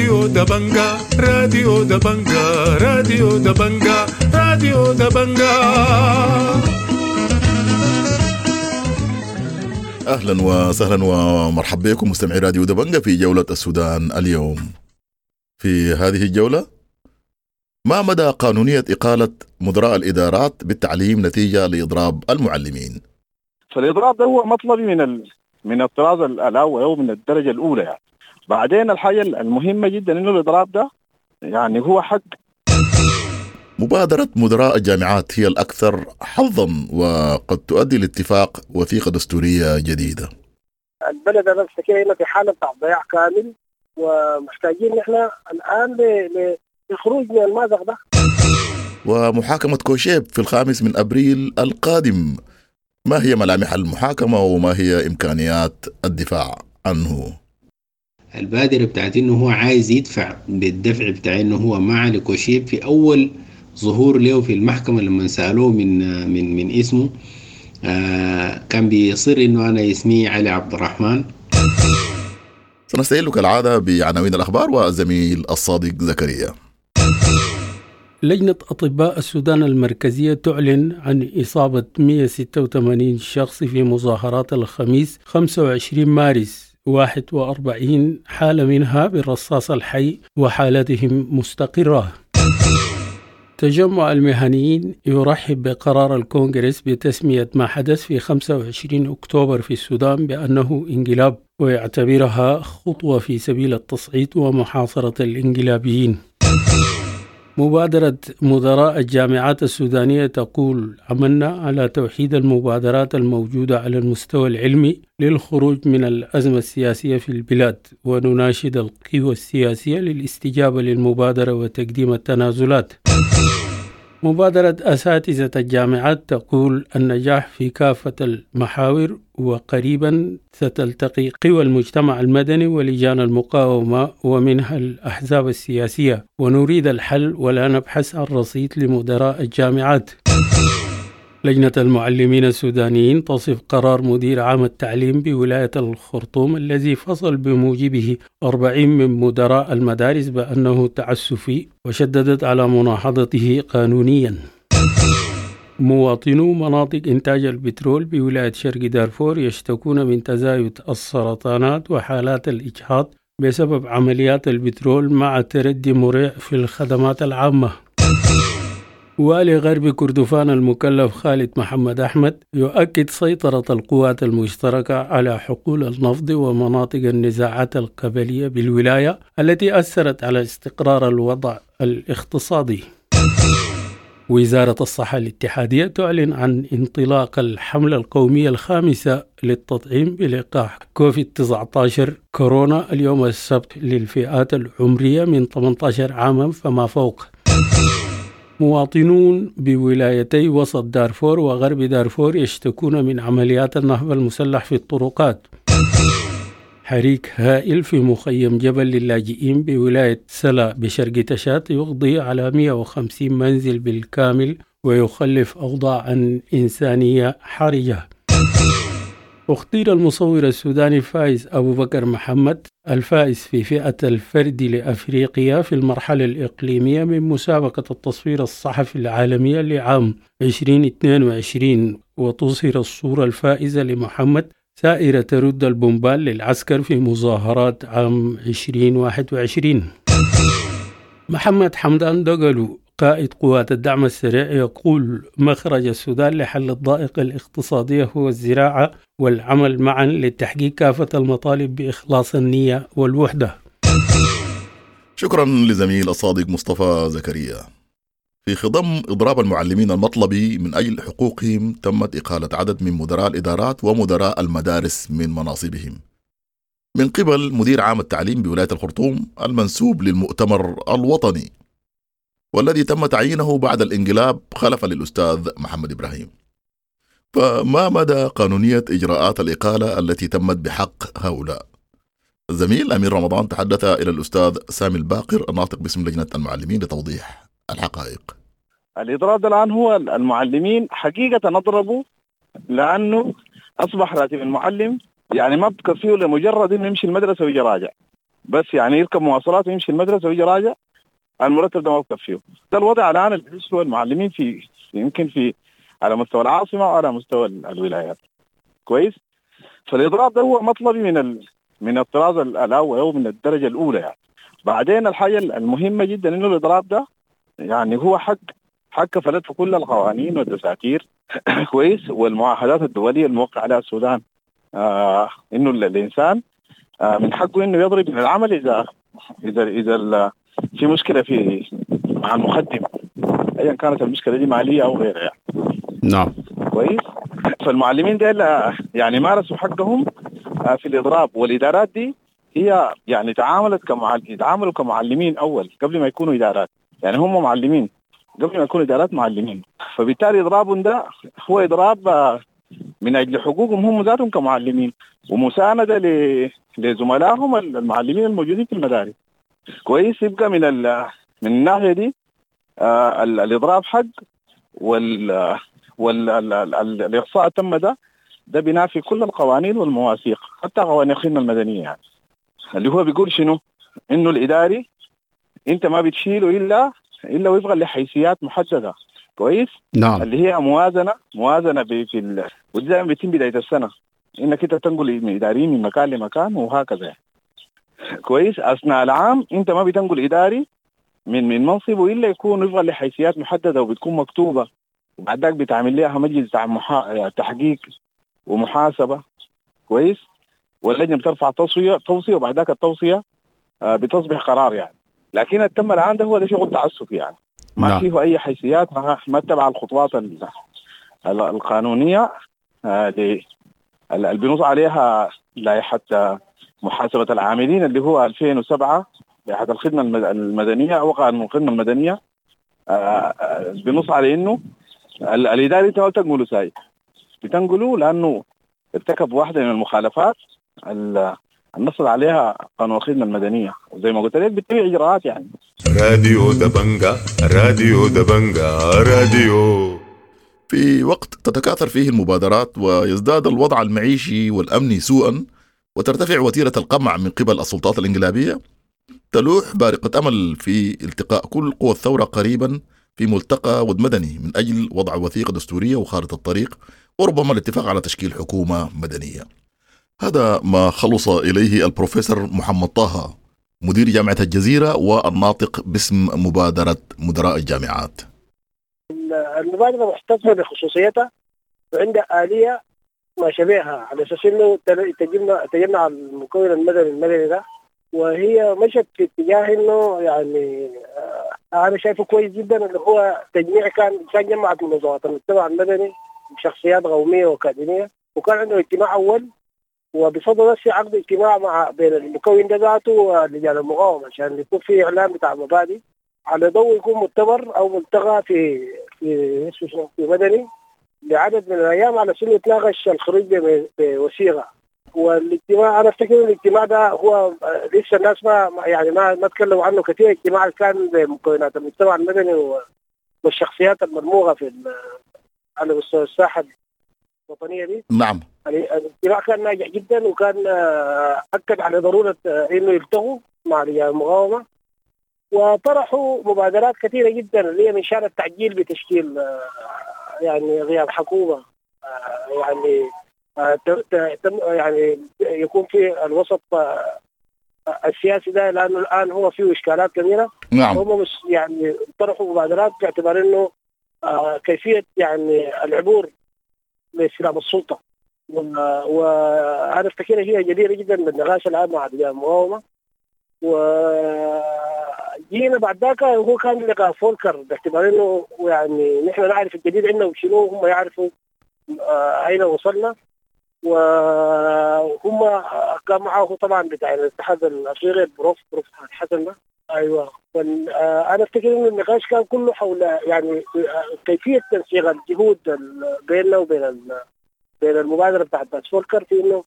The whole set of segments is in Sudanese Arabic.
راديو دبنجا، راديو دبنجا، راديو دبنجا، راديو دبنجا. اهلا وسهلا ومرحبا بكم مستمعي راديو دبنجا في جولة السودان اليوم. في هذه الجولة، ما مدى قانونية إقالة مدراء الإدارات بالتعليم نتيجة لإضراب المعلمين؟ فالإضراب ده هو مطلبي من الطراز الأول أو من الدرجة الأولى يعني. بعدين الحاجة المهمة جدا إنه الإضراب ده يعني هو حق. مبادرة مدراء الجامعات هي الأكثر حظا وقد تؤدي لاتفاق وثيقة دستورية جديدة. البلد أنا بفتكر في حالة ضياع كامل، ومحتاجين نحن الآن للخروج من المأزق ده. ومحاكمة كوشيب في 5 أبريل القادم، ما هي ملامح المحاكمة وما هي إمكانيات الدفاع عنه؟ البادرة بتاعت إنه هو عايز يدفع بالدفع بتاع إنه هو مع لكوشيب في أول ظهور له في المحكمة لما سألوه من من من اسمه كان بيصر إنه أنا اسمي علي عبد الرحمن. سنستهل كالعادة بعناوين الأخبار والزميل الصادق زكريا. لجنة أطباء السودان المركزية تعلن عن إصابة 186 شخص في مظاهرات الخميس 25 مارس، 41 حالة منها بالرصاص الحي وحالتهم مستقرة. تجمع المهنيين يرحب بقرار الكونغرس بتسمية ما حدث في 25 أكتوبر في السودان بأنه انقلاب، ويعتبرها خطوة في سبيل التصعيد ومحاصرة الانقلابيين. مبادرة مدراء الجامعات السودانية تقول عملنا على توحيد المبادرات الموجودة على المستوى العلمي للخروج من الأزمة السياسية في البلاد، ونناشد القوى السياسية للاستجابة للمبادرة وتقديم التنازلات. مبادرة أساتذة الجامعات تقول النجاح في كافة المحاور، وقريبا ستلتقي قوى المجتمع المدني ولجان المقاومة ومنها الأحزاب السياسية، ونريد الحل ولا نبحث عن رصيد لمدراء الجامعات. لجنة المعلمين السودانيين تصف قرار مدير عام التعليم بولاية الخرطوم الذي فصل بموجبه 40 من مدراء المدارس بأنه تعسفي، وشددت على مناهضته قانونيا. مواطنو مناطق إنتاج البترول بولاية شرق دارفور يشتكون من تزايد السرطانات وحالات الإجهاض بسبب عمليات البترول مع تردي مريع في الخدمات العامة. والي غرب كردفان المكلف خالد محمد أحمد يؤكد سيطرة القوات المشتركة على حقول النفط ومناطق النزاعات القبلية بالولاية التي أثرت على استقرار الوضع الاقتصادي. وزارة الصحة الاتحادية تعلن عن انطلاق الحملة القومية الخامسة للتطعيم بلقاح كوفيد-19 كورونا اليوم السبت للفئات العمرية من 18 عاما فما فوق. مواطنون بولايتي وسط دارفور وغرب دارفور يشتكون من عمليات النهب المسلح في الطرقات. حريق هائل في مخيم جبل للاجئين بولاية سلا بشرق تشاد يقضي على 150 منزل بالكامل ويخلف أوضاعا إنسانية حرجة. اختير المصور السوداني فايز أبو بكر محمد الفائز في فئة الفرد لأفريقيا في المرحلة الإقليمية من مسابقة التصوير الصحفي العالمية لعام 2022، وتظهر الصورة الفائزة لمحمد سائرة ترد البومبال للعسكر في مظاهرات عام 2021. محمد حمدان دقلو قائد قوات الدعم السريع يقول مخرج السودان لحل الضائقة الاقتصادية هو الزراعة والعمل معا لتحقيق كافة المطالب بإخلاص النية والوحدة. شكرا لزميل الصادق مصطفى زكريا. في خضم إضراب المعلمين المطلبي من أجل حقوقهم تمت إقالة عدد من مدراء الإدارات ومدراء المدارس من مناصبهم من قبل مدير عام التعليم بولاية الخرطوم المنسوب للمؤتمر الوطني، والذي تم تعيينه بعد الانقلاب خلفا للأستاذ محمد إبراهيم. فما مدى قانونية إجراءات الإقالة التي تمت بحق هؤلاء؟ الزميل أمير رمضان تحدث إلى الأستاذ سامي الباقر الناطق باسم لجنة المعلمين لتوضيح الحقائق. الإضراب الآن هو المعلمين حقيقة نضربوا لأنه أصبح راتب المعلم يعني ما بتكفيه لمجرد إنه يمشي المدرسة ويجي راجع. بس يعني يركب مواصلات ويمشي المدرسة ويجي راجع، المرتب ده ما بكفيه. ده الوضع الان اللي بيعيشه المعلمين في يمكن في على مستوى العاصمة وعلى مستوى الولايات. كويس؟ فالاضراب ده هو مطلبي من الطراز الاول او من الدرجة الاولى يعني. بعدين الحاجة المهمة جدا انه الاضراب ده يعني هو حق كفلته كل القوانين والدساتير كويس، والمعاهدات الدولية الموقع عليها السودان، انه الانسان من حقه انه يضرب من العمل اذا اذا اذا في مشكلة في مع المخدم، ايا كانت المشكلة دي ماليه او غيرها يعني. نعم. كويس. فالمعلمين ديل يعني مارسوا حقهم في الاضراب، والادارات دي هي يعني تعاملت تعاملوا كمعلمين اول قبل ما يكونوا ادارات، يعني هم معلمين قبل ما يكونوا ادارات، معلمين. فبالتالي اضرابهم ده هو اضراب من اجل حقوقهم هم ذاتهم كمعلمين، ومسانده لزملائهم المعلمين الموجودين في المدارس. كويس. يبقى من الناحية دي الاضراب حق، والاقصاء تم ده بنافي كل القوانين والمواثيق، حتى قوانين الخدمة المدنية يعني. اللي هو بيقول شنو؟ انه الاداري انت ما بتشيله الا وفقا لحيثيات محددة. كويس؟ نعم. اللي هي موازنه في ودي دائما بتتم بداية السنة، انك انت تنقل من اداريين من مكان لمكان وهكذا يعني. كويس. اثناء العام انت ما بتنقل اداري من منصبه الا يكون وفقا لحيثيات محددة وبتكون مكتوبة، وبعد ذاك بتعمل لها مجلس تحقيق ومحاسبه. كويس. واللجنة بترفع توصية وبعد ذاك التوصية بتصبح قرار يعني. لكن التم الان ده هو ده شغل تعسفي يعني، ما نعم. فيه اي حيثيات، ما اتبع الخطوات القانونية اللي بنص عليها لائحة محاسبه العاملين اللي هو 2007، لائحة الخدمة المدنية او قانون الخدمة المدنية، بنص على انه الاداري انت ما بتنقله ساي، بتنقله لانه ارتكب واحدة من المخالفات النص عليها قانون الخدمة المدنية، وزي ما قلت لك بتبع اجراءات يعني. راديو دبنجا، راديو دبنجا، راديو. في وقت تتكاثر فيه المبادرات ويزداد الوضع المعيشي والأمني سوءا، وترتفع وتيرة القمع من قبل السلطات الانقلابية، تلوح بارقة أمل في التقاء كل قوى الثورة قريبا في ملتقى ود مدني من أجل وضع وثيقة دستورية وخارطة الطريق، وربما الاتفاق على تشكيل حكومة مدنية. هذا ما خلص إليه البروفيسور محمد طه، مدير جامعة الجزيرة والناطق باسم مبادرة مدراء الجامعات. المبادرة محتفظة بخصوصيتها وعندها آلية ما شبهها على أساس إنه تجمع المكون المدني ده، وهي مشت في اتجاه إنه يعني أنا شايفه كويس جدا اللي هو تجميع كان جمعت منظمات المجتمع المدني بشخصيات قومية وأكاديمية، وكان عنده اجتماع أول، وبصدد بس عقد اجتماع مع بين المكون ده ذاته ولجان المقاومة عشان يكون في إعلان بتاع مبادئ على ضوء يكون مؤتمر أو ملتقى في في في مدني لعدد من الأيام على سنة يتناقش الخروج بوثيقة. والاجتماع أنا أفتكر الاجتماع ده هو لسه الناس ما يعني ما تكلموا عنه كثير. اجتماع كان بمكونات المجتمع المدني والشخصيات المرموقة في على مستوى الساحة الوطنية دي. نعم. الاجتماع كان ناجح جدا، وكان أكد على ضرورة إنه يلتقوا مع رجال المقاومة، وطرحوا مبادرات كثيرة جدا اللي هي من شأن التعجيل بتشكيل يعني غياب حكومة، يعني يعني يكون في الوسط السياسي ده، لأنه الآن هو فيه إشكالات كبيرة. نعم. هم مش يعني طرحوا مبادرات باعتبار إنه كيفية يعني العبور لاستلام السلطة، وأنا أفتكر هي جديرة جدا بالنقاش الآن مع رجال المقاومة. وجينا بعد ذاك هو كان لقاء فولكر باعتبار انه يعني نحن نعرف الجديد عندنا وشنو، هم يعرفوا اين وصلنا، وهم كان معه طبعا بتاع الاتحاد الافريقي البروف حسن ده. ايوه. انا افتكر ان النقاش كان كله حول يعني كيفية تنسيق الجهود بيننا وبين بين المبادرة بتاعت فولكر في انه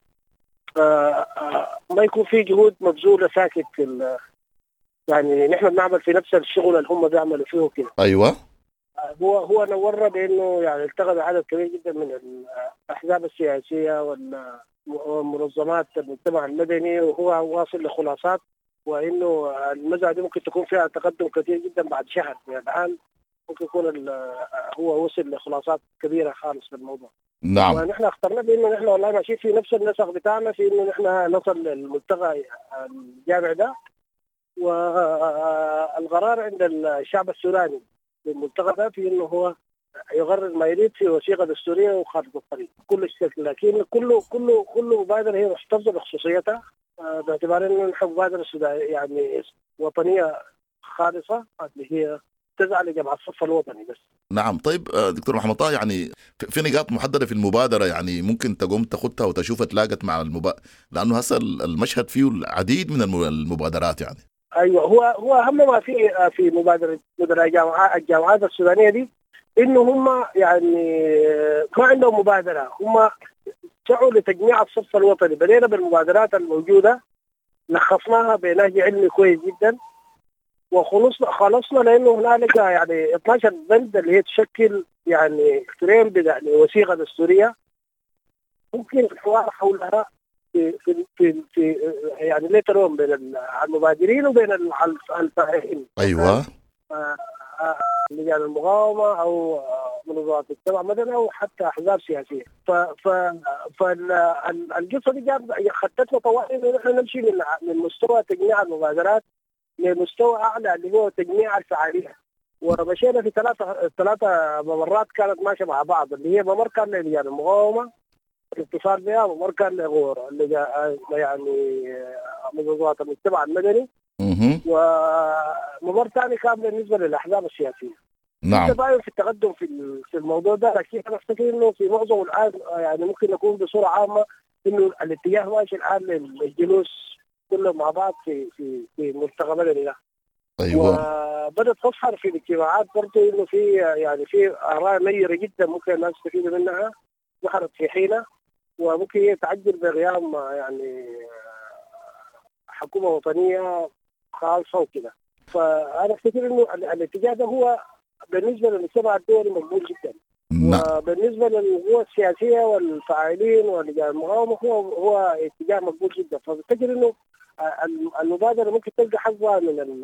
ما يكون في جهود مبذوله ساكت في يعني نحن بنعمل في نفس الشغل اللي هم بيعملوا فيه كده. ايوه. هو نورنا بانه يعني التقى بعدد كبير جدا من الاحزاب السياسية ومنظمات المجتمع المدني، وهو واصل لخلاصات وانه المزرعة دي ممكن تكون فيها تقدم كثير جدا بعد شهر من الان، ممكن يكون هو وصل لخلاصات كبيرة خالص في الموضوع. نعم. ونحن اخترنا بانه نحن والله ماشيين في نفس النسق بتاعنا في انه نحن نصل للملتقى الجامع ده، والقرار عند الشعب السوداني بالملتقى ده في انه هو يغرر ما يريد في وثيقة دستورية وخارطه الطريق كل الشكل، لكن كله كله كل مبادرة هي محتفظة بخصوصيتها باعتبار انه نحن مبادرة يعني وطنية خالصة اللي هي تسعى لجمع الصف الوطني بس. نعم. طيب دكتور محمد طه، يعني في نقاط محددة في المبادرة يعني ممكن تقوم تاخدها وتشوفها تلاقت مع لانه هسه المشهد فيه العديد من المبادرات يعني. ايوه، هو اهم ما في مبادرة مدراء الجامعات السودانية دي انه هم يعني ما عندهم مبادرة، هم سعوا لتجميع الصف الوطني. بدينا بالمبادرات الموجودة، لخصناها بنهج علمي كويس جدا، وخلصنا لانه هنالك يعني 12 بند اللي هي تشكل يعني فريم لوثيقه دستورية ممكن الحوار حولها في في في, في يعني later on بين المبادرين وبين الفاعلين. ايوه، لجان المقاومة او منظمات المجتمع المدني او حتى احزاب سياسية. فالقصة دي خطتنا طوال انه نحن نمشي من مستوى تجميع المبادرات لمستوى اعلى اللي هو تجميع الفعالية، ومشينا في ثلاثة ممرات كانت ماشية مع بعض، اللي هي ممر كان للجان المقاومة الاتصال بها، ممر كان يعني منظمات المجتمع المدني، وممر ثاني كان بالنسبة للاحزاب السياسية. نعم. تباين في التقدم في الموضوع ده، لكن انا افتكر انه في معظم الان يعني ممكن نكون بصورة عامة انه الاتجاه ماشي الان للجلوس كله مع بعض في في في ملتقى مدني ده. ايوه. وبدات تظهر في الاجتماعات برضه انه في يعني في اراء نيره جدا ممكن الناس تستفيد منها، ظهرت في حينها، وممكن هي تعجل بقيام يعني حكومة وطنية خالصة وكده. فانا افتكر انه الاتجاه ده هو بالنسبة للمجتمع الدولي مقبول جدا. نعم. وبالنسبة للقوى السياسية والفاعلين ولجان المقاومة هو اتجاه مقبول جدا. فبفتكر انه المبادرة ممكن تلقى حظها من ال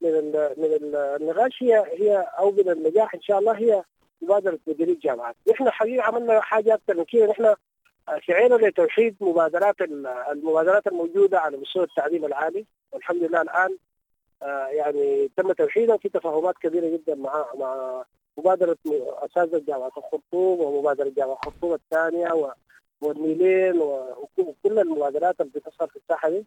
من ال من النقاش هي او من النجاح ان شاء الله، هي مبادرة مديري الجامعات. نحن حقيقة عملنا حاجة اكثر من كده، نحن سعينا لتوحيد المبادرات الموجودة على مستوى التعليم العالي، والحمد لله الان يعني تم توحيدها في تفاهمات كبيرة جدا مع مبادرة اساتذة جامعه الخرطوم ومبادرة جامعه الخرطوم الثانية والنيلين وكل المبادرات اللي بتظهر في الساحة دي.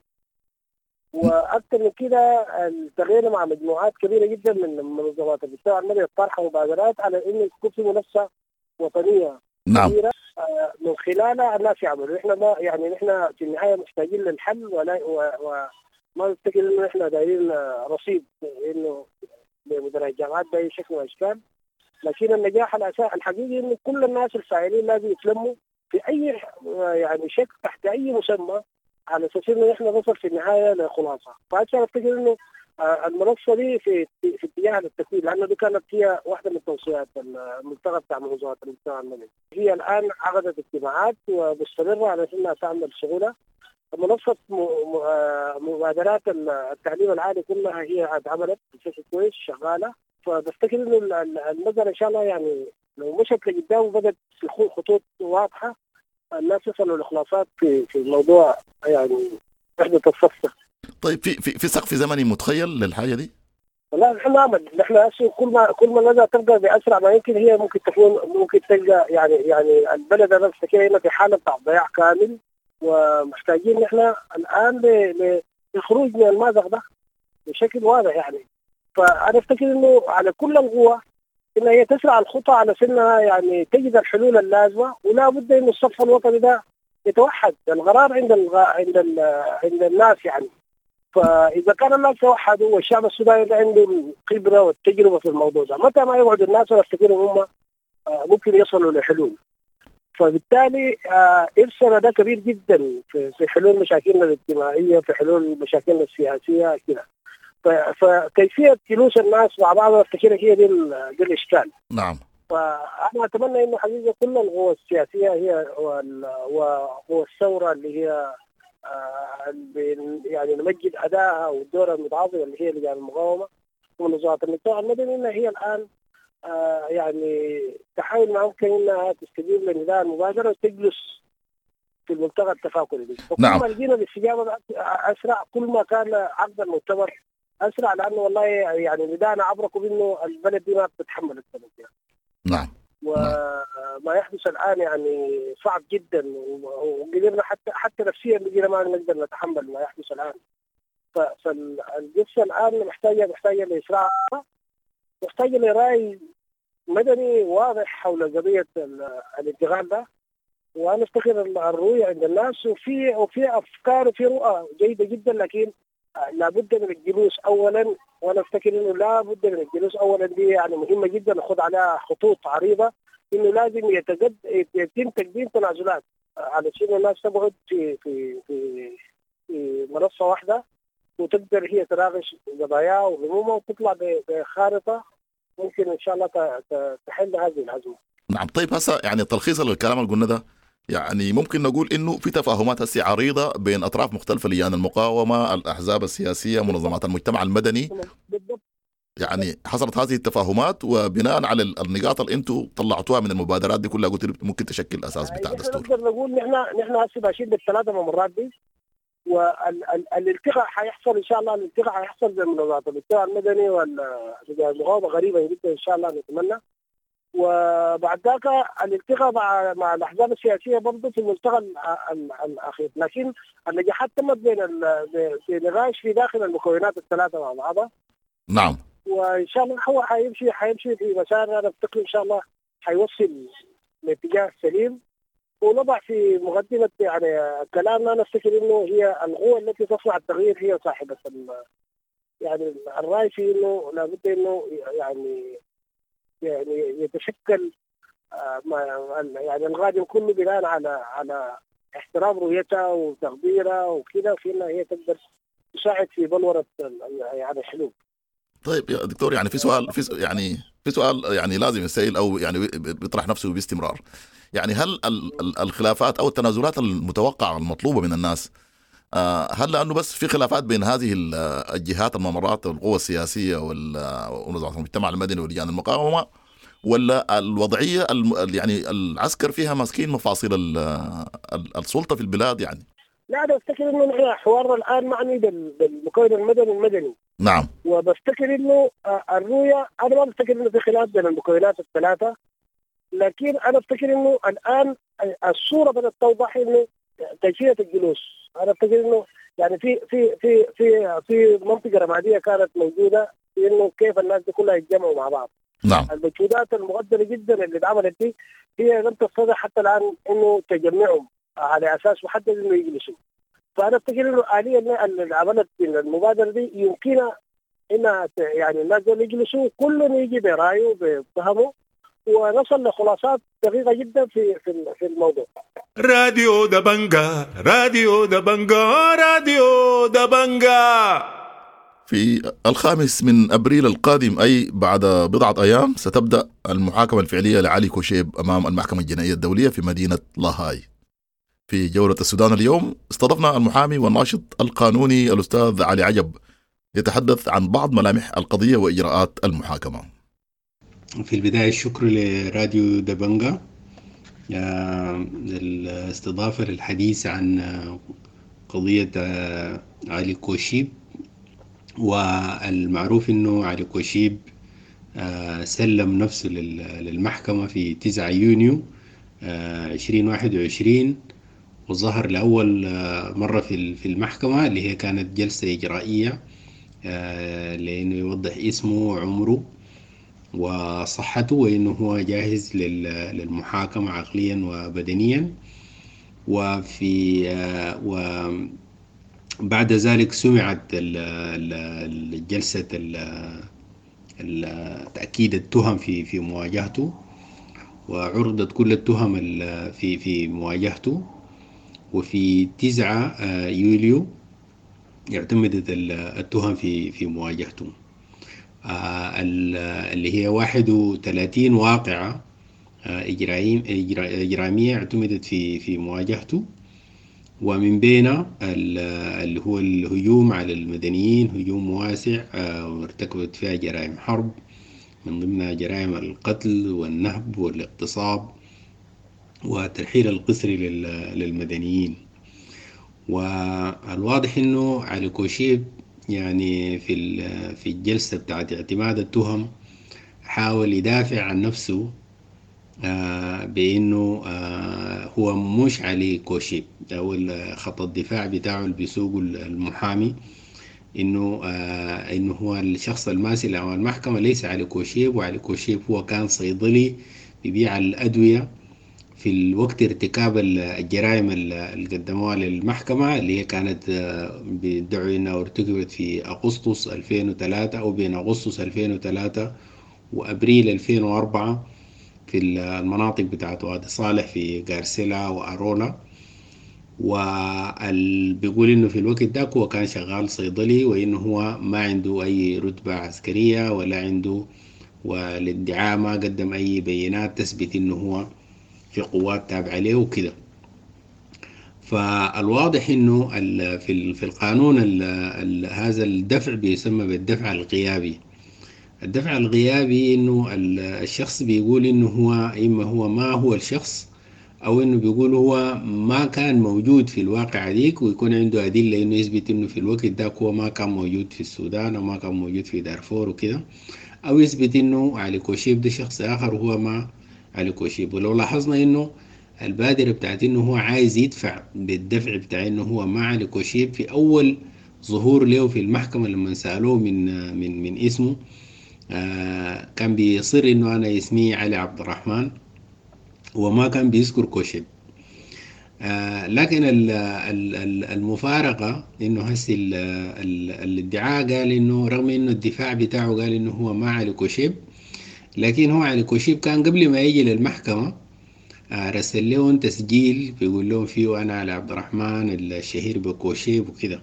واكثر من كده التغيير مع مجموعات كبيرة جدا من منظمات المجتمع المدني طرح مبادرات على انه يكون في منافسه وطنية. نعم. كبيرة من خلالها الناس يعملوا. نحن ما يعني نحن في النهاية محتاجين للحل، ولا وما نفتكر انه نحن دايرين رصيد انه لمدراء الجامعات باي شكل من الاشكال، لكن النجاح الحقيقي انه كل الناس الفاعلين لازم يتلموا في اي يعني شكل تحت اي مسمى على اساس انه نحن نصل في النهاية لخلاصه. فهسه افتكر انه المنصة دي في اتجاه للتكوين، لانه دي كانت هي واحدة من توصيات الملتقى بتاع منظمات المجتمع المدني. هي الان عقدت اجتماعات ومستمرة على انها تعمل شغلها. منصة مبادرات التعليم العالي كلها هي اتعملت بشكل كويس شغالة. فبفتكر انه المسالة ان شاء الله يعني لو مشت لقدام وبدت في خطوط واضحة الناس يصلوا لخلاصات في الموضوع يعني وحده الصف. طيب في سقف زمني متخيل للحاجة دي؟ والله نحن نعمل، نحن كل ما المسالة تبقى باسرع ما يمكن هي ممكن تكون ممكن تلقى يعني البلد انا بفتكر هنا في حاله بتاع ضياع كامل، ومحتاجين نحن الان للخروج من المأزق ده بشكل واضح يعني. فانا افتكر انه على كل القوى انها هي تسرع الخطى على سنها يعني تجد الحلول اللازمة، ولا بد انه الصف الوطني ده يتوحد، القرار عند عند عند الناس يعني. فاذا كان الناس توحدوا والشعب السوداني ده عنده الخبرة والتجربة في الموضوع ده، متى ما يقعد الناس افتكر هم ممكن يصلوا لحلول. فبالتالي ارثنا ده كبير جدا في حلول مشاكلنا الاجتماعية، في حلول مشاكلنا السياسية كده. فكيفيه جلوس الناس مع بعض افتكر هي دي الاشكال. نعم. فانا اتمنى انه حقيقة كل القوى السياسية هي وقوى الثورة اللي هي يعني نمجد ادائها والدور المتعاظم اللي هي لجان المقاومة ومنظمات المجتمع المدني، انها هي الان يعني تحاول ما ممكن انها تستجيب لنداء المبادرة وتجلس في الملتقى التفاكري دي. نعم. كل ما لقينا الاستجابة اسرع، كل ما كان عقد المؤتمر اسرع، لانه والله يعني نداءنا عبركم انه البلد دي ما بتتحمل السنة يعني. نعم. وما يحدث الان يعني صعب جدا، وقدرنا حتى نفسيا بقينا ما نقدر نتحمل ما يحدث الان. فالقصة الان محتاجه لاسراع، محتاجه لراي مدني واضح حول قضية الانتقال ده. وانا افتكر الرؤية عند الناس، وفي افكار وفي رؤى جيدة جدا، لكن لابد من الجلوس اولا. وانا افتكر انه لابد من الجلوس اولا، دي يعني مهمة جدا، ناخذ عليها خطوط عريضة، انه لازم يتم تقديم تنازلات علشان الناس تقعد في في في في منصة واحدة وتقدر هي تناقش قضاياها وهمومها وتطلع بخارطه ممكن ان شاء الله تحل هذه الازمة. نعم. طيب هسه يعني تلخيصا للكلام اللي قلنا ده، يعني ممكن نقول انه في تفاهمات هسه عريضة بين اطراف مختلفة، لجان المقاومة، الاحزاب السياسية، منظمات المجتمع المدني. بالضبط. يعني حصلت هذه التفاهمات، وبناء على النقاط اللي انتم طلعتوها من المبادرات دي كلها قلت ممكن تشكل اساس بتاع الدستور. نقدر نقول نحن هسه ماشيين بالثلاثة ممرات دي، والالتقاء حيحصل ان شاء الله. الالتقاء حيحصل بين منظمات المجتمع المدني واللجان المقاومة غريبة جدا ان شاء الله نتمنى. وبعد ذاك الالتقاء مع الاحزاب السياسية برضه في الملتقى الاخير، لكن النجاحات تمت بين في نقاش في داخل المكونات الثلاثة مع بعضها. نعم. وان شاء الله هو حيمشي في مسار، انا افتكر ان شاء الله حيوصل لاتجاه سليم. ونضع في مقدمه يعني كلامنا، انا افتكر انه هي القوة التي تصنع التغيير هي صاحبه يعني الراي في انه لابد انه يعني يتشكل يعني الغادم كله بناء على احترام رؤيتها وتقديرها وكذا، في انها هي تقدر تساعد في بلوره يعني الحلول. طيب يا دكتور، يعني في سؤال في سؤال يعني لازم يسأل او يعني بيطرح نفسه باستمرار، يعني هل الخلافات او التنازلات المتوقعة المطلوبة من الناس، هل لانه بس في خلافات بين هذه الجهات الممرات القوى السياسية ومنظمات المجتمع المدني ولجان المقاومة، ولا الوضعية يعني العسكر فيها ماسكين مفاصل السلطة في البلاد؟ يعني لا، انا افتكر انه نحن حوارنا الان معني بالمكون المدني. نعم. وبفتكر انه الرؤية، انا ما بفتكر انه في خلاف بين المكونات الثلاثة، لكن انا افتكر انه الان الصورة بدات توضح انه كيفية الجلوس. انا افتكر انه يعني في في في في في منطقة رمادية كانت موجودة في انه كيف الناس دي كلها يتجمعوا مع بعض. نعم. المجهودات المقدرة جدا اللي اتعملت دي هي لم تستطع حتى الان انه تجمعهم على اساس محدد انه يجلسوا. فانا افتكر انه الالية اللي عملت المبادرة دي يمكنها انها يعني الناس دول يجلسوا كل يجي برايه بفهمه، ونصل لخلاصات دقيقة جدا في في الموضوع. راديو دبنجا، راديو دبنجا، راديو دبنجا. في 5 أبريل القادم، أي بعد بضعة أيام، ستبدأ المحاكمة الفعلية لعلي كوشيب أمام المحكمة الجنائية الدولية في مدينة لاهاي. في جولة السودان اليوم استضفنا المحامي والناشط القانوني الأستاذ علي عجب يتحدث عن بعض ملامح القضية وإجراءات المحاكمة. في البداية الشكر لراديو دبنجا الاستضافة للحديث عن قضية علي كوشيب. والمعروف أنه علي كوشيب سلم نفسه للمحكمة في 9 يونيو 2021، وظهر لأول مرة في المحكمة اللي هي كانت جلسة إجرائية لأنه يوضح اسمه وعمره وصحته وإنه هو جاهز للمحاكمة عقليا وبدنيا. وفي وبعد ذلك سمعت الجلسة تأكيد التهم في مواجهته، وعرضت كل التهم في مواجهته. وفي 9 يوليو اعتمدت التهم في مواجهته اللي هي 31 واقعة إجرامية اعتمدت في مواجهته. ومن بينها اللي هو الهجوم على المدنيين، هجوم واسع وارتكبت فيها جرائم حرب، من ضمنها جرائم القتل والنهب والاغتصاب والترحيل القسري للمدنيين. والواضح انه علي كوشيب يعني في الجلسة بتاعت اعتماد التهم حاول يدافع عن نفسه بانه هو مش علي كوشيب، او خط الدفاع بتاعه اللي بيسوقه المحامي انه هو الشخص الماسل امام المحكمة ليس علي كوشيب، وعلي كوشيب هو كان صيدلي بيبيع الأدوية في الوقت ارتكاب الجرائم اللي قدموها للمحكمة، اللي هي كانت بيدعوا انها ارتكبت في اغسطس 2003 او بين اغسطس 2003 وابريل 2004 في المناطق بتاعت وادي صالح في غارسيلا وأرولا. وبيقول انه في الوقت ده هو كان شغال صيدلي، وانه هو ما عنده اي رتبة عسكرية ولا عنده، والادعاء ما قدم اي بيانات تثبت انه هو في قوات تابعة له وكده. فالواضح انه في القانون هذا الدفع بيسمى بالدفع الغيابي. الدفع الغيابي انه الشخص بيقول انه هو اما هو ما هو الشخص، او انه بيقول هو ما كان موجود في الواقع ديك، ويكون عنده ادله انه يثبت انه في الوقت ده هو ما كان موجود في السودان او ما كان موجود في دارفور وكده، او يثبت انه علي كوشيب ده شخص اخر وهو ما علي كوشيب. ولو لاحظنا انه البادرة بتاعت انه هو عايز يدفع بالدفع بتاع انه هو ما علي كوشيب في اول ظهور له في المحكمة لما سألوه من من من اسمه كان بيصر انه انا اسمي علي عبد الرحمن، وما كان بيذكر كوشيب. لكن المفارقة انه هسي الادعاء قال انه رغم انه الدفاع بتاعه قال انه هو ما علي كوشيب، لكن هو علي كوشيب كان قبل ما يجي للمحكمة رسل لهم تسجيل بيقول لهم فيه انا علي عبد الرحمن الشهير بكوشيب وكده.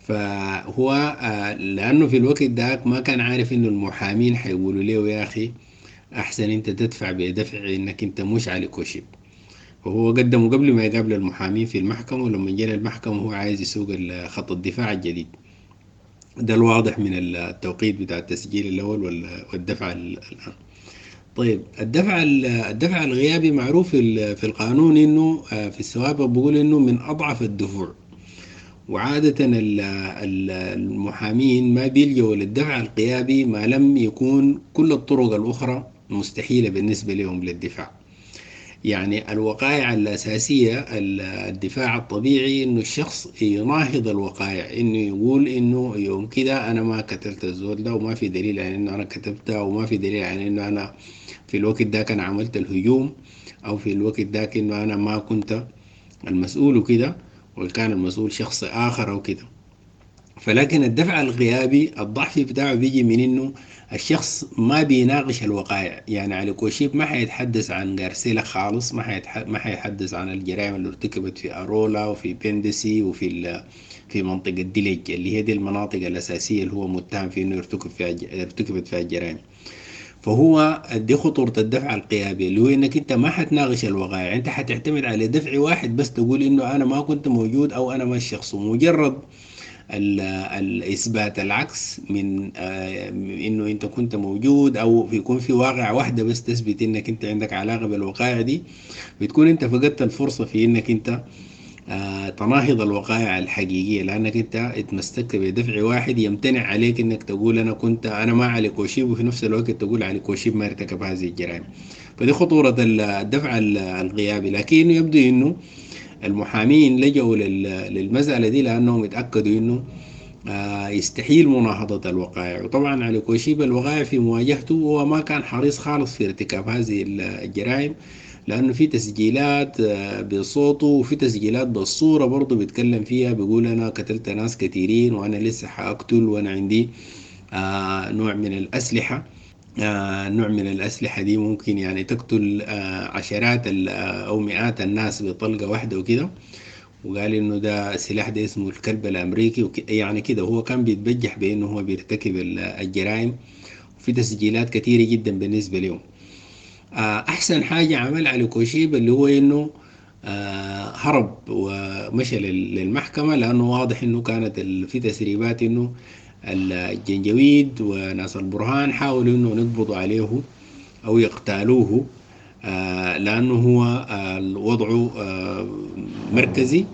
فهو لانه في الوقت ده ما كان عارف انه المحامين حيقولوا له يا اخي احسن انت تدفع بدفع انك انت مش علي كوشيب. وهو قدمه قبل ما يقابل المحامين في المحكمة، ولما جاء المحكمة هو عايز يسوق خط الدفاع الجديد ده، الواضح من التوقيت بتاع التسجيل الأول والدفع الآن. طيب الدفع الغيابي معروف في القانون إنه في السوابق بيقول إنه من أضعف الدفوع، وعادة المحامين ما بيلجوا للدفع الغيابي ما لم يكون كل الطرق الأخرى مستحيلة بالنسبة لهم للدفاع. يعني الوقائع الأساسية الدفاع الطبيعي إنه الشخص يناهض الوقائع، إنه يقول إنه يوم كده أنا ما قتلت الزول ده، وما في دليل على إنه أنا كتبته، وما في دليل على إنه أنا في الوقت ده كان عملت الهجوم، أو في الوقت ده إنه أنا ما كنت المسؤول وكده، وكان المسؤول شخص آخر أو كده. فلكن الدفع الغيابي الضعف بتاعه بيجي من إنه الشخص ما بيناقش الوقائع. يعني علي كوشيب ما حيتحدث عن غارسيلا خالص، ما حيتحدث عن الجرائم اللي ارتكبت في أرولا وفي بندسي وفي في منطقة ديليج اللي هي دي المناطق الأساسية اللي هو متهم في إنه ارتكبت فيها الجرائم. فهو دي خطورة الدفع الغيابي، اللي هو إنك أنت ما حتناقش الوقائع، أنت حتعتمد على دفع واحد بس تقول إنه أنا ما كنت موجود أو أنا ما الشخص، ومجرد الإثبات العكس من إنه أنت كنت موجود أو يكون في واقعة واحدة بس تثبت إنك أنت عندك علاقة بالوقائع دي، بتكون أنت فقدت الفرصة في إنك أنت تناهض الوقائع الحقيقية، لأنك أنت اتمسكت بدفع واحد يمتنع عليك إنك تقول أنا ما علي كوشيب، وفي نفس الوقت تقول علي كوشيب ما ارتكب هذه الجرائم. فدي خطورة الدفع الغيابي. لكن يبدو إنه المحامين لجأوا للمسألة دي لأنهم اتأكدوا إنه يستحيل مناهضة الوقائع. وطبعا علي كوشيب الوقائع في مواجهته هو ما كان حريص خالص في ارتكاب هذه الجرائم، لأنه في تسجيلات بصوته وفي تسجيلات بالصورة برضه بيتكلم فيها، بيقول أنا قتلت ناس كثيرين وأنا لسه حأقتل وأنا عندي نوع من الأسلحة، نوع من الأسلحة دي ممكن يعني تقتل عشرات أو مئات الناس بطلقة واحدة وكده. وقال إنه ده السلاح ده اسمه الكلب الأمريكي يعني كده هو كان بيتبجح بإنه هو بيرتكب الجرائم، وفي تسجيلات كثيرة جدا بالنسبة لهم. أحسن حاجة عمل علي كوشيب اللي هو إنه هرب ومشى للمحكمة، لأنه واضح إنه كانت في تسريبات إنه الجنجويد وناس البرهان حاولوا إنه يقبضوا عليه أو يقتالوه، لأنه هو وضعه مركزي،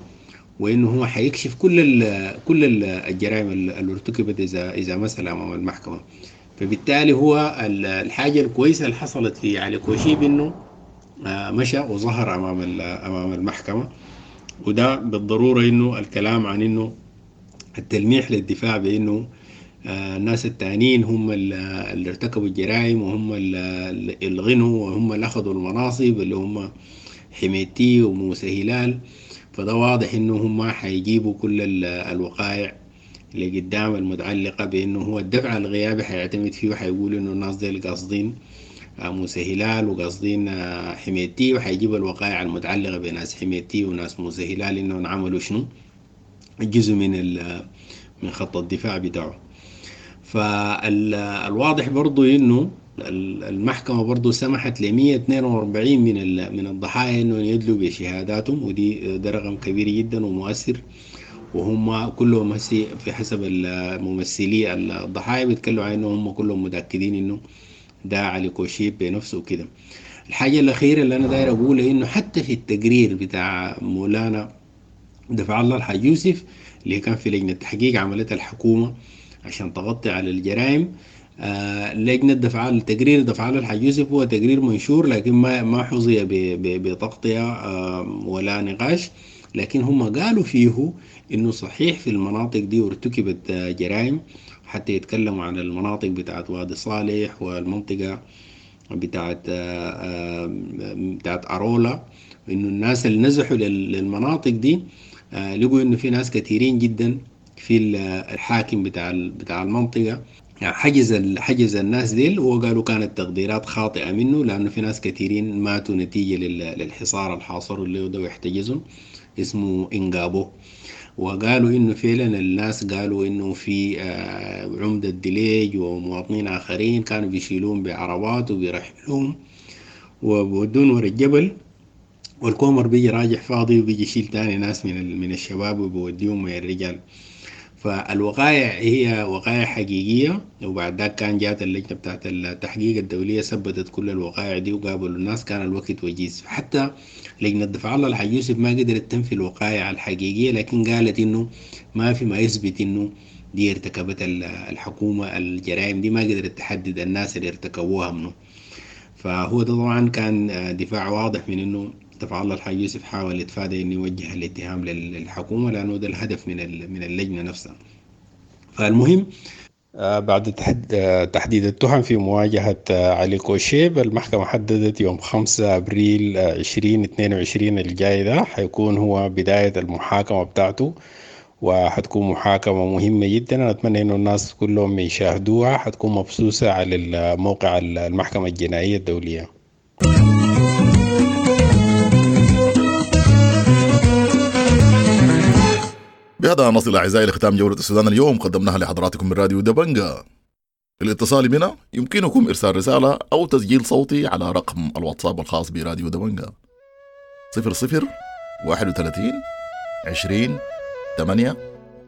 وإنه هو حيكشف كل الجرائم اللي ارتكبت إذا مثل أمام المحكمة. فبالتالي هو الحاجة الكويسة اللي حصلت في علي كوشيب إنه مشى وظهر أمام المحكمة، وده بالضرورة إنه الكلام عن إنه التلميح للدفاع بإنه الناس التانيين هم اللي ارتكبوا الجرائم وهم اللي غنوا وهم اللي أخذوا المناصب اللي هم حميدتي وموسى هلال، فده واضح إنه هم حيجيبوا كل الوقائع اللي قدام المتعلقة بإنه هو الدفع الغيابي حيعتمد فيه، وحيقول إنه الناس دي قاصدين موسى هلال وقاصدين حميدتي، وحيجيب الوقائع المتعلقة بناس حميدتي وناس موسى هلال إنهم عملوا شنو، جزء من خط الدفاع بتاعه. فالواضح برضو إنه المحكمة برضو سمحت ل 142 من الضحايا إنه يدلوا بشهاداتهم، ودي ده رقم كبير جدا ومؤثر، وهم كلهم هسي في حسب الممثلي الضحايا بيتكلموا عن إنه هم كلهم متأكدين إنه ده علي كوشيب بنفسه وكده. الحاجة الأخيرة اللي أنا داير أقولها إنه حتى في التقرير بتاع مولانا دفع الله الحاج يوسف اللي كان في لجنة تحقيق عملتها الحكومة عشان تغطي على الجرائم، لجنة دفع التقرير دفع الله الحاج يوسف هو تقرير منشور، لكن ما حظي بتغطية ولا نقاش، لكن هم قالوا فيه إنه صحيح في المناطق دي ارتكبت جرائم، حتى يتكلموا عن المناطق بتاعت وادي صالح والمنطقة بتاعت أرولا، إنه الناس اللي نزحوا للمناطق دي لقوا إنه في ناس كثيرين جدا في الحاكم بتاع المنطقة يعني حجز الناس ديل، وقالوا كانت تقديرات خاطئة منه، لأنه في ناس كثيرين ماتوا نتيجة للحصار الحاصر اللي ده ويحتجزهم اسمه إنجابو. وقالوا إنه فعلا الناس قالوا إنه في عمدة دليج ومواطنين آخرين كانوا بيشيلون بعربات وبيرحلوهم وبودون ورا الجبل، والكومر بيجي راجع فاضي وبيجي يشيل تاني ناس من الشباب وبيوديهم من الرجال. فالوقائع هي وقائع حقيقية، وبعد ذاك كان جات اللجنة بتاعت التحقيق الدولية ثبتت كل الوقائع دي وقابلوا الناس، كان الوقت وجيز. حتى لجنة دفع الله الحاج يوسف ما قدرت تنفي الوقائع الحقيقية، لكن قالت إنه ما في ما يثبت إنه دي ارتكبت الحكومة الجرائم دي، ما قدرت تحدد الناس اللي ارتكبوها منه. فهو ده طبعا كان دفاع واضح من إنه دفع الله الحاج يوسف حاول يتفادى إنه يوجه الاتهام للحكومة، لأنه ده الهدف من اللجنة نفسها. فالمهم بعد تحديد التهم في مواجهة علي كوشيب، المحكمة حددت يوم 5 أبريل 2022 الجاي ده حيكون هو بداية المحاكمة بتاعته، وحتكون محاكمة مهمة جدا. أنا أتمنى إنه الناس كلهم يشاهدوها، حتكون مبثوثة على موقع المحكمة الجنائية الدولية. بهذا نصل أعزائي لختام جولة السودان اليوم، قدمناها لحضراتكم من راديو دبنجا. للاتصال بنا يمكنكم إرسال رسالة أو تسجيل صوتي على رقم الواتساب الخاص براديو دبنجا 00 31 20 8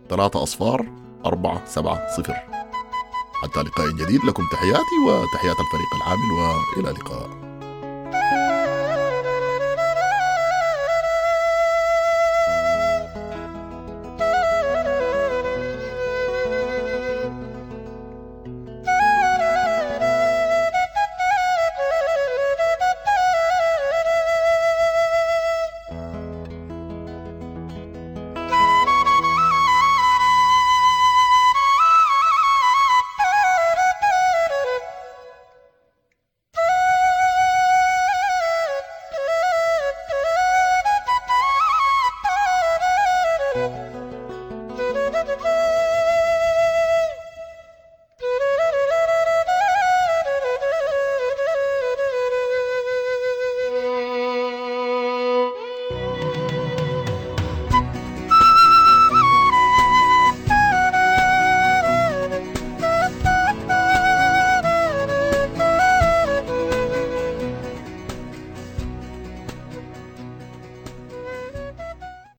3 0 4 7 0. حتى لقاء جديد، لكم تحياتي وتحيات الفريق العامل، وإلى اللقاء. Thank you.